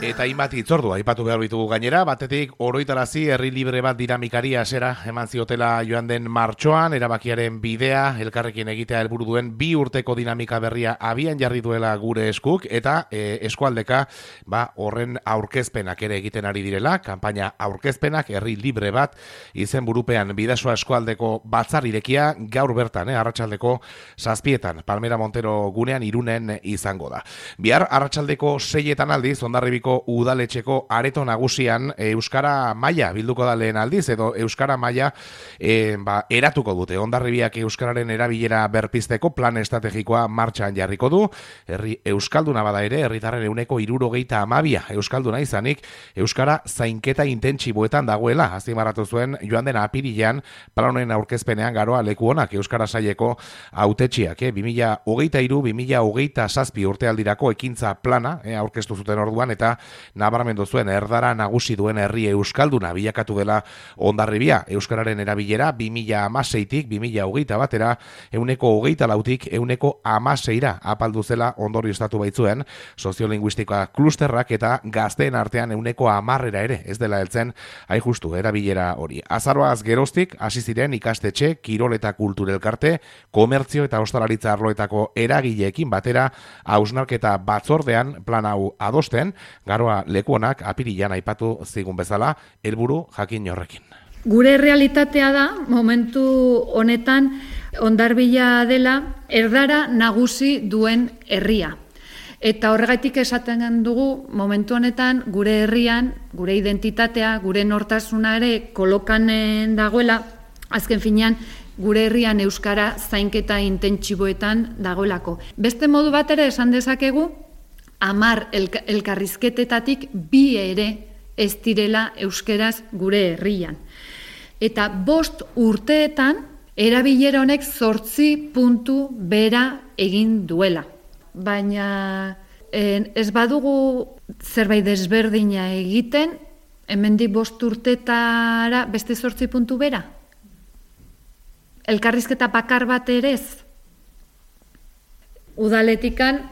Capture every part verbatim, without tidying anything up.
Eta hainbat hitzordu aipatu behar ditugu gainera, batetik oroitarazi herri libre bat dinamikari hasiera eman ziotela joan den martxoan, erabakiaren bidea elkarrekin egitea helburu duen bi urteko dinamika berria abian jarri duela gure eskuk, eta e, eskualdeka ba, horren aurkezpenak ere egiten ari direla, kanpaina aurkezpenak herri libre bat izen burupean Bidasoa eskualdeko batzar irekia gaur bertan, eh, arratsaldeko zazpietan, Palmera Montero gunean Irunen izango da. Bihar arratsaldeko seietan aldiz, Hondarribiko udaletxeko areto nagusian e, Euskara maila bilduko da lehen aldiz, edo Euskara maila e, ba, eratuko dute. Hondarribiak Euskararen erabilera berpizteko plan estrategikoa martxan jarriko du. Herri Euskalduna bada ere, herritarren ehuneko hirurogeita hamabia Euskalduna izanik, Euskara zainketa intentsiboetan dagoela, azpimarratu zuen joan den apirilean plan honen aurkezpenean Garoa leku onak Euskara saileko hautetsiak, eh? bi mila hogeita hiru bi mila hogeita zazpi urtealdirako ekintza plana eh, aurkeztu zuten orduan, eta nabarmendu zuen erdara nagusi duen herri euskalduna bilakatu dela Hondarribia. Euskararen erabilera bi mila hamaseitik bi mila hogeita batera ehuneko hogeita lautik ehuneko hamaseira apaldu zela ondorioztatu baitzuen soziolinguistikoa klusterrak, eta gazteen artean ehuneko hamarrera ere ez dela heltzen hain justu erabilera hori. Azaroaz geroztik hasi ziren ikastetxe, kirol eta kultur elkarte, komertzio eta ostalaritza arloetako eragileekin batera hausnarketa batzordean plan hau adosten, Garoa lekuonak apirilean aipatu zigun bezala, helburu jakin horrekin. Gure realitatea da, momentu honetan, Hondarribia dela erdara nagusi duen herria. Eta horregatik esaten dugu, momentu honetan, gure herrian, gure identitatea, gure nortasuna ere kolokanen dagoela, azken finean, gure herrian euskara zainketa intentsiboetan dagoelako. Beste modu bat ere esan dezakegu, hamar elk- elkarrizketetatik bi ere ez direla euskeraz gure herrian. Eta bost urteetan erabilera honek zortzi puntu bera egin duela. Baina en, ez badugu zerbait desberdina egiten, hemendik bost urtetara beste zortzi puntu bera? Elkarrizketa bakar bat ere ez? Udaletikan,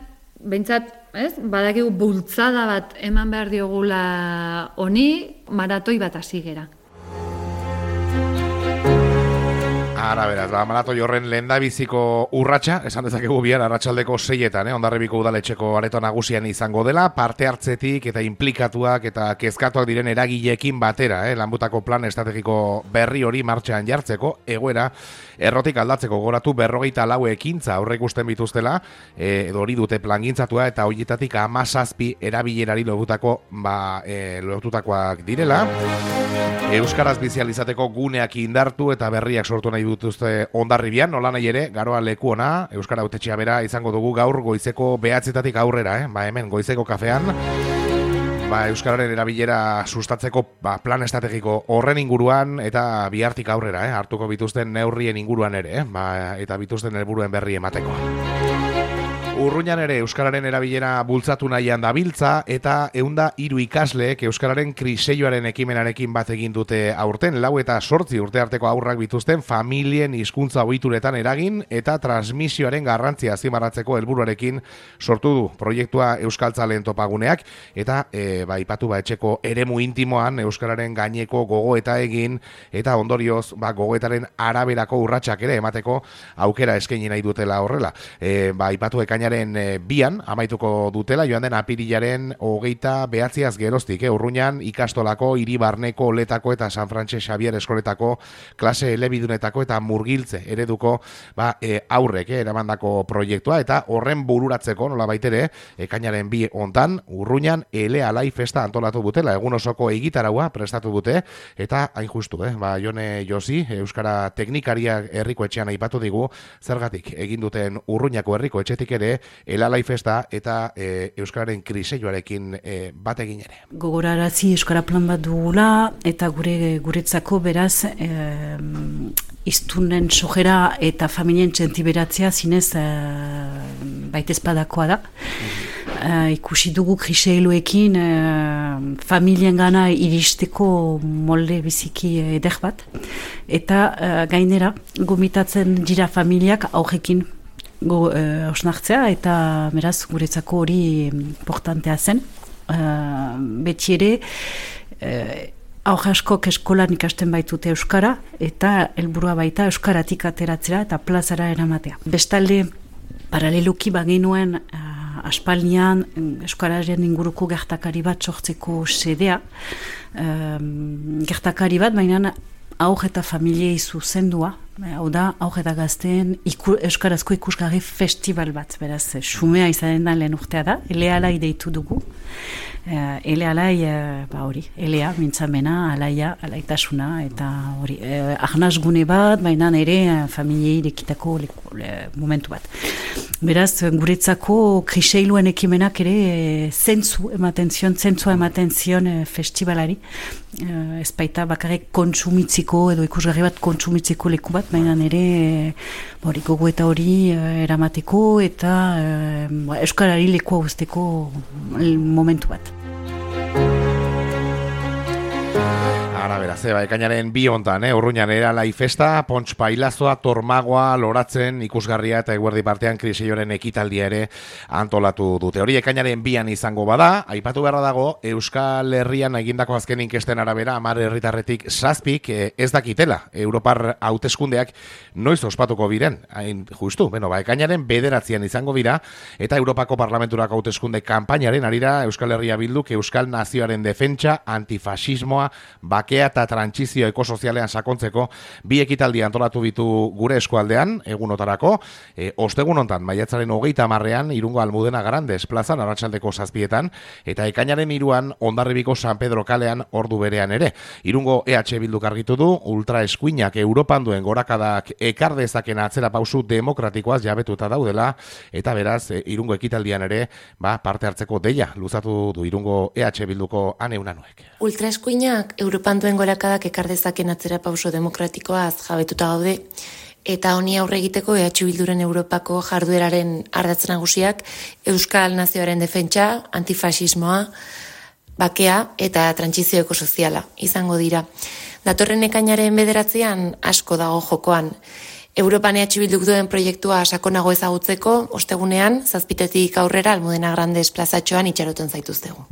behintzat, ez? Badakigu bultzada bat eman behar diogula honi, maratoi bat hasi gera. Ara, beraz, ba, maratoi horren lehendabiziko urratsa, esan dezakegu bihar arratsaldeko seietan, eh? Hondarribiko udaletxeko areto nagusian izango dela, parte hartzetik eta implikatuak eta kezkatuak diren eragileekin batera, eh? Lanbutako plan estrategiko berri hori martxan jartzeko, egoera errotik aldatzeko goratu berrogeita lau ekintza aurreikusten bituztela, eh, edo hori dute plangintzatua, eta horietatik hamazazpi erabilerari lotutako, ba, eh, lotutakoak direla. Euskaraz bizializateko guneak indartu eta berriak sortu nahi dituzte Hondarribian, nola nahi ere, Garoa leku ona, Euskara hautetxea bera izango dugu gaur goizeko behatzetatik aurrera, eh? Ba hemen goizeko kafean, ba, Euskararen erabilera sustatzeko ba, plan estrategiko horren inguruan eta bihartik aurrera, eh? Hartuko bituzten neurrien inguruan ere, eh? Ba, eta bituzten helburuen berri emateko. Urruñan ere Euskararen erabilera bultzatu nahian dabiltza, eta ehunda hiru ikasleek Euskararen kriseioaren ekimenarekin bat egin dute aurten, lau eta sortzi urte arteko haurrak bituzten familien hizkuntza ohituretan eragin eta transmisioaren garrantzia azpimarratzeko helburuarekin sortu du proiektua Euskaltzaleen topaguneak, eta e, ba, ipatu ba, etxeko eremu intimoan Euskararen gaineko gogoeta egin, eta ondorioz ba, gogoetaren araberako urratsak ere emateko aukera eskaini nahi dutela horrela. E, ba, ipatu ekaina bian amaituko dutela, joan den apirilaren hogeita behatziaz geroztik, eh? Urruñan ikastolako, Iribarneko, Oletako eta San Frantxe Xabier eskoletako klase elebidunetako eta murgiltze ereduko ba, e, aurrek eh, eramandako proiektua, eta horren bururatzeko nola baitere, ekainaren bi hontan Urruñan ele alai festa antolatu dutela, egun osoko egitaraua prestatu dute, eta hain justu, eh? Ba, Jone Josi, Euskara teknikaria herriko etxean aipatu digu, zergatik egin duten Urruñako herriko etxetik ere elalai festa eta e, Euskararen kriseioarekin e, bat egin ere. Gogorarazi Euskara plan bat dugula, eta gure guretzako beraz e, iztunen sojera eta familien txentiberatzea zinez e, baitezpadakoa da. E, ikusi dugu kriseiluekin e, familien gana iristeko molde biziki eder bat, eta e, gainera gomitatzen dira familiak aurrekin go, uh, osnartzea, eta beraz guretzako hori importantea zen. Uh, beti ere, uh, aurre askok eskolan ikasten baitute euskara, eta helburua baita euskaratik ateratzera eta plazara eramatea. Bestalde, paraleluki bagenuen uh, aspaldian euskararen inguruko gertakari bat sortzeko sedea, um, gertakari bat, baina aur eta familiei zuzendua, hau da, aur eta gazteen iku, euskarazko ikusgarri festival bat, beraz, xumea izanen da lehen urtea da, elealai deitu dugu. Uh, ele alai, uh, ba hori, elea, mintzamena, alaia, alaitasuna, eta hori, uh, ahnaz gune bat, baina ere uh, familiei dekitako momentu bat. Beraz, guretzako kriseiluen ekimenak ere uh, zentzu ematen zion, zentzua ematen zion uh, festivalari, uh, ez baita bakarrik kontsumitziko, edo ikusgarri bat kontsumitziko leku bat, baina ere uh, hori, gogo eta hori uh, eramateko, eta uh, euskarari lekua guzteko momentu bat. Ara, beraz, eba, ekainaren bi hontan, eh? Urruñan eralai festa, Pontx Pailazoa, Tormagoa, Loratzen, ikusgarria eta eguerdi partean kriseioren ekitaldia ere antolatu dute. Hori ekainaren bian izango bada, aipatu beharra dago, Euskal Herrian egindako azken inkesten arabera, hamar herritarretik zazpik eh, ez dakitela. Europar hauteskundeak noiz ospatuko biren, hain justu, beno, ba, ekainaren bederatzian izango bira, eta Europako Parlamenturako hauteskunde kanpainaren arira Euskal Herria Bilduk Euskal Nazioaren defentsa, antifasismoa, bake eta trantsizio ekosozialean sakontzeko bi ekitaldi antolatu bitu gure eskualdean, egunotarako, e, ostegun hontan, maiatzaren hogeita hamarrean, Irungo Almudena Grandes plazan, arratsaldeko zazpietan, eta ekainaren hiruan Hondarribiko San Pedro kalean ordu berean ere. Irungo E H Bilduk argitu du, ultraeskuinak Europan duen gorakadak ekar dezaken atzera pausu demokratikoaz jabetuta daudela, eta beraz, e, Irungo ekitaldian ere, ba, parte hartzeko deia, luzatu du Irungo E H Bilduko Ane Unanuek. Ultraeskuinak Europan duen gorakadak ekar dezaken atzera pauso demokratikoaz jabetuta gaude, eta honi aurre egiteko E H Bilduren Europako jardueraren ardatz nagusiak Euskal Nazioaren defentsa, antifasismoa, bakea eta trantsizio ekosoziala izango dira. Datorren ekainaren bederatzean asko dago jokoan. Europan E H Bilduk duen proiektua sakonago ezagutzeko, ostegunean, zazpitetik aurrera Almudena Grandes plazatxoan itxaroten zaituztegu.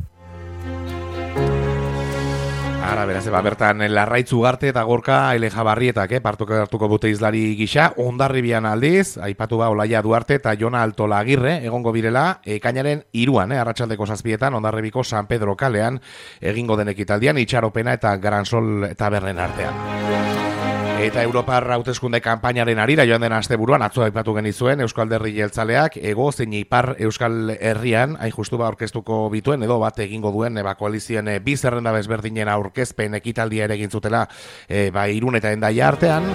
Ara, beraz, eba, bertan Larraitz Ugarte eta Gorka Eleja Barrietak, eh, partuko hartuko dute izlari gisa, Hondarribian aldiz, aipatu ba Olaia Duarte eta Jona Altola Agirre, egongo birela, ekainaren hiruan, eh, arratsaldeko zazpietan, Hondarribiko San Pedro kalean, egingo den ekitaldian, itxaropena eta Gransol tabernen artean. Eta Europar hauteskunde kanpainaren arira joan den asteburuan atzo aipatu genizuen Euskal Alderdi Jeltzaleak ego zein ipar Euskal Herrian hain justu ba aurkeztuko bituen edo bat egingo duen ba koalizioen e, bi zerrenda desberdinen aurkezpen ekitaldia ere egin zutela e, ba Irun eta Hendaia artean.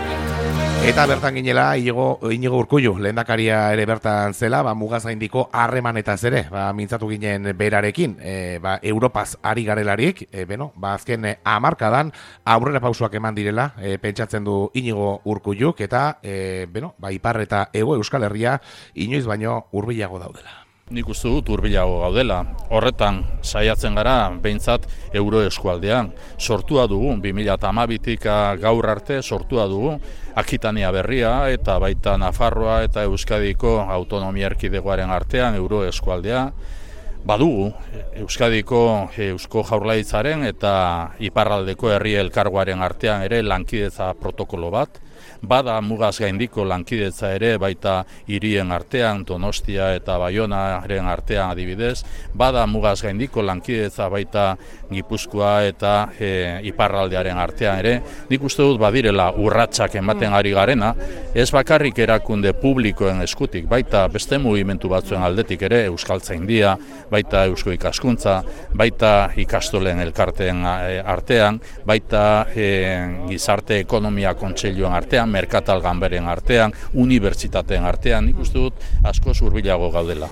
Eta bertan ginela Inigo, Inigo Urkullu lehendakaria ere bertan zela, ba mugazaindiko harremanetaz ere, ba mintzatu ginen berarekin, e, ba Europaz ari garelarik, e, beno, ba azken e, hamarkadan aurrera pausoak eman direla, e, pentsatzen du Inigo Urkulluk eta e, beno, ba ipar eta hego Euskal Herria inoiz baino hurbilago daudela. Nik uste dut hurbilago gaudela. Horretan saiatzen gara behintzat euro eskualdean. Sortua dugu, bi mila hamabitik gaur arte sortua dugu Akitania berria eta baita Nafarroa eta Euskadiko autonomia erkidegoaren artean euro eskualdea. Badugu Euskadiko Eusko Jaurlaritzaren eta iparraldeko herri elkargoaren artean ere lankidetza protokolo bat. Bada mugaz gaindiko lankidetza ere baita hirien artean, Donostia eta Baionaren artean adibidez. Bada mugaz gaindiko lankidetza baita Gipuzkoa eta e, iparraldearen artean ere. Nik uste dut badirela urratsak ematen ari garena, ez bakarrik erakunde publikoen eskutik, baita beste mugimendu batzuen aldetik ere, Euskaltzaindia, baita Eusko Ikaskuntza, baita ikastolen elkarteen artean, baita e, gizarte ekonomia kontseiluan artean, merkatal ganberen artean, unibertsitateen artean, nik uste dut asko hurbilago gaudela.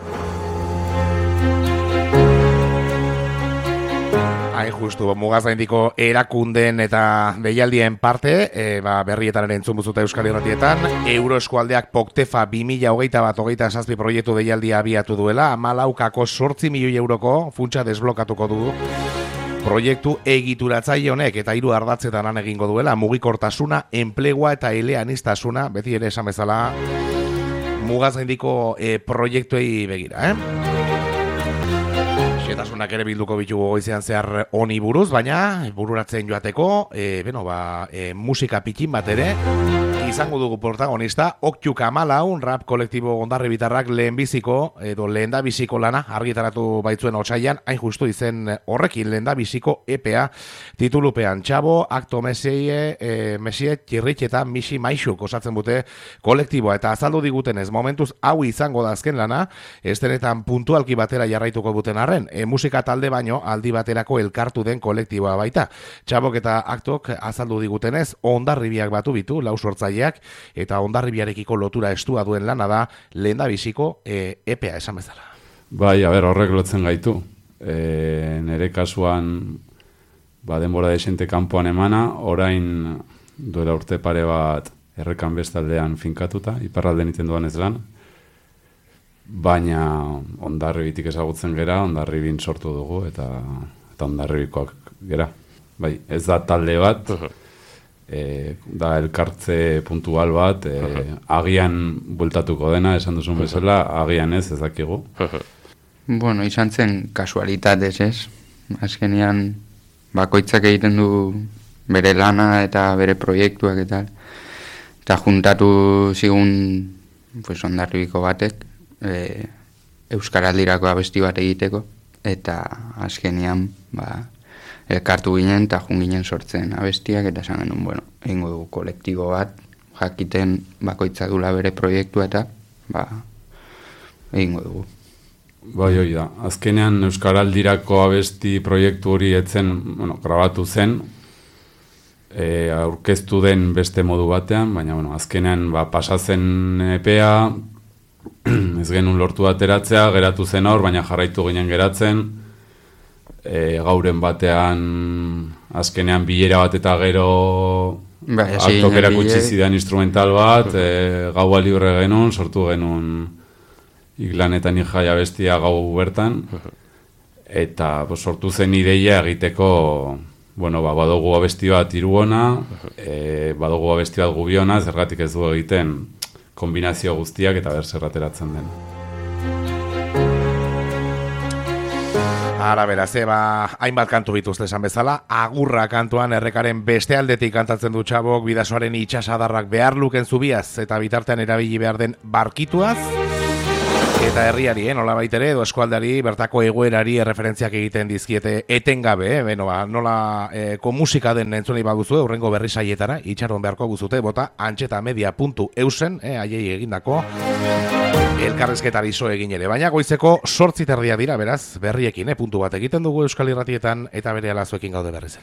Hain justu, mugazaindiko erakundeen eta deialdien parte, e, ba, berrietan ere entzun buzuta Euskal Irratietan, Euroeskualdeak Poktefa bi mila hogeita bat hogeita zazpi proiektu deialdia abiatu duela, hamalaukako zortzi milioi euroko funtsa desblokatuko du. Proiektu egituratzaile honek eta hiru ardatzetan lan egingo duela, mugikortasuna, enplegua eta eleaniztasuna, beti ere esan bezala, mugaz gaindiko e, proiektuei begira, eh? Xetasunak ere bilduko bitugu goizean zehar honi buruz, baina bururatzen joateko, e, beno, ba, e, musika pikin bat ere, izango dugu protagonista, Oktu Kamalaun, rap kolektibo Hondarribitarrak lehenbiziko, edo lehendabiziko lana argitaratu baitzuen otsailean, hain justu izen horrekin lehendabiziko E P A titulupean. Txabo, Akto Mesie, e, Mesie, Txirritx eta Misi Maixuk osatzen dute kolektiboa, eta azaldu digutenez, momentuz hau izango da azken lana, estenetan puntualki batera jarraituko duten arren, e, musika talde baino aldi baterako elkartu den kolektiboa baita. Txabok eta Aktok azaldu digutenez, Hondarribiak batu bitu, lau sortzaileak, eta Hondarribiarekiko lotura estua duen lana da lehendabiziko e, E P A esan bezala. Bai, a ber, horrek lotzen gaitu. E, nere kasuan ba, denbora desente kanpoan emana, orain duela urte pare bat errekan bestaldean finkatuta, iparralden iten duan ez lan, baina Hondarribitik ezagutzen gera, Hondarribin sortu dugu, eta, eta Hondarribikoak gera. Bai, ez da talde bat, E, da elkartze puntual bat, e, agian bueltatuko dena, esan duzun bezala, agian ez, ez dakigu. Bueno, izan zen kasualitatez, ez? Azkenean bakoitzak egiten du bere lana eta bere proiektuak eta eta juntatu zigun pues, Hondarribiko batek e, Euskaraldirako abesti bat egiteko, eta azkenean ba, elkartu ginen eta jun ginen sortzen abestiak, eta esan genuen, bueno, egingo dugu kolektibo bat, jakiten bakoitza dula bere proiektua eta ba, egingo dugu. Bai, hoi da. Azkenean Euskaraldirako abesti proiektu hori etzen, bueno, grabatu zen, e, aurkeztu den beste modu batean, baina, bueno, azkenean ba, pasatzen E P A, ez genuen lortu ateratzea, geratu zen hor, baina jarraitu ginen geratzen, E, gauren batean azkenean bilera bat eta gero bai, Aktok erakutsi zidan instrumental bat, e, gaua libre genuen, sortu genuen Iglanetan Ijaia bestia gau bertan, eta bo, sortu zen ideia egiteko, bueno, ba, badugu abesti bat iruona, e, badugu abesti bat gubiona, zergatik ez du egiten kombinazio guztiak eta berzerrateratzen den. Ara beraz, eba, hainbat kantu bituzte esan bezala, Agurra kantuan errekaren beste aldetik kantatzen du Txabok, bidasoaren itxasadarrak behar luken zubiaz, eta bitartean erabili behar den barkituaz, eta herriari, eh, nola baitere, edo eskualdari, bertako egoerari erreferentziak egiten dizkiete etengabe, eh, beno, ba, nola eh, komusika den entzunei baduzu, urrengo berri saietara, itxaron beharko guzute, bota antxetamedia puntu eusen, eh, aiei egindako, elkarrezketari zo egin ere, baina goizeko sortzi terdia dira, beraz, berriekin, eh, puntu bat egiten dugu Euskal Irratietan, eta bere alazuekin gaude berriz ere.